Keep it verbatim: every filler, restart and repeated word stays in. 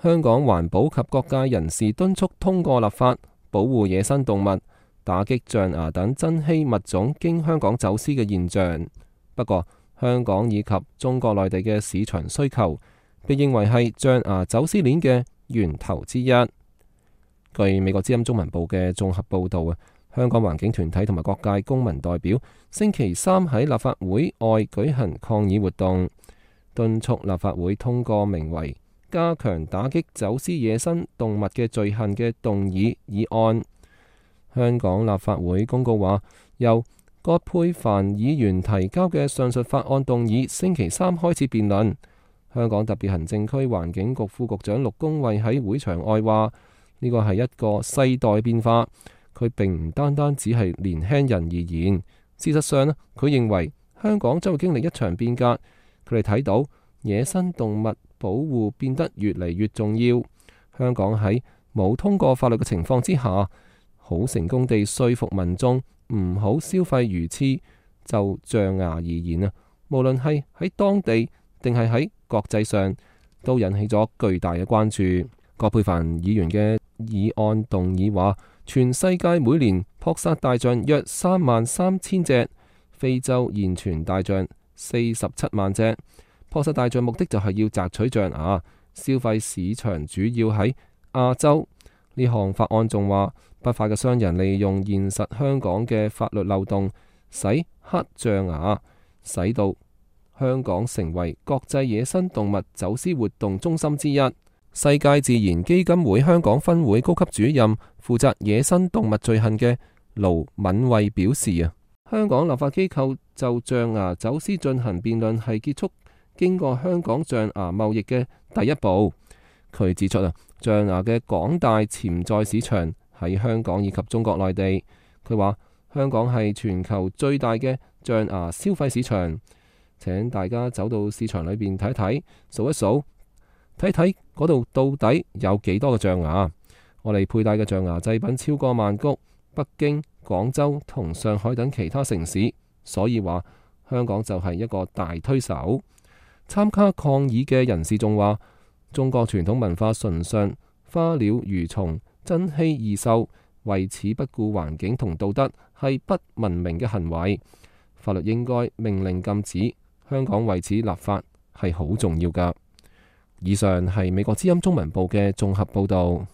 香港環保及各界人士敦促通過立法，保護野生動物，打擊象牙等珍稀物種經香港走私嘅現象。不過，香港以及中國內地嘅市場需求，被認為係象牙走私鏈嘅源頭之一。據美國之音中文部嘅綜合報導啊，香港環境團體同埋各界公民代表星期三喺立法會外舉行抗議活動，敦促立法會通過名為加強打擊走私野生動物嘅罪行嘅動議議案。香港立法會公告話，由葛珮帆議員提交嘅上述法案動議星期三開始辯論。香港特別行政區環境局副局長陸恭蕙喺會場外話，呢個係一個世代變化，佢並唔單單只係年輕人而言。事實上咧，佢認為香港將會經歷一場變革。佢哋睇到野生動物保護變得越嚟越重要。香港喺冇通過法律嘅情況之下，好成功地說服民眾唔好消費魚翅。就象牙而言啊，無論係喺當地定係喺國際上，都引起咗巨大嘅關注。葛珮帆議員嘅議案動議話，全世界每年撲殺大象約三萬三千隻，非洲現存大象四十七萬隻。撲殺大象目的就係要摘取象牙，消費市場主要喺亞洲。呢項法案仲話，不法嘅商人利用現實香港嘅法律漏洞，使黑象牙，使到香港成為國際野生動物走私活動中心之一。世界自然基金會香港分會高級主任負責野生動物罪行嘅盧敏慧表示啊，香港立法機構就象牙走私進行辯論係結束經過香港象牙貿易嘅第一步。佢指出啊，象牙嘅廣大潛在市場喺香港以及中國內地。佢話香港係全球最大嘅象牙消費市場，請大家走到市場裏邊睇睇，數一數，睇睇嗰度到底有幾多個象牙。我哋佩戴嘅象牙製品超過曼谷、北京、廣州同上海等其他城市，所以話香港就係一個大推手。參加抗議嘅人士仲話，中國傳統文化崇尚花鳥魚蟲、珍稀異獸，為此不顧環境同道德，係不文明嘅行為。法律應該命令禁止，香港為此立法係好重要㗎。以上係美國之音中文部嘅綜合報導。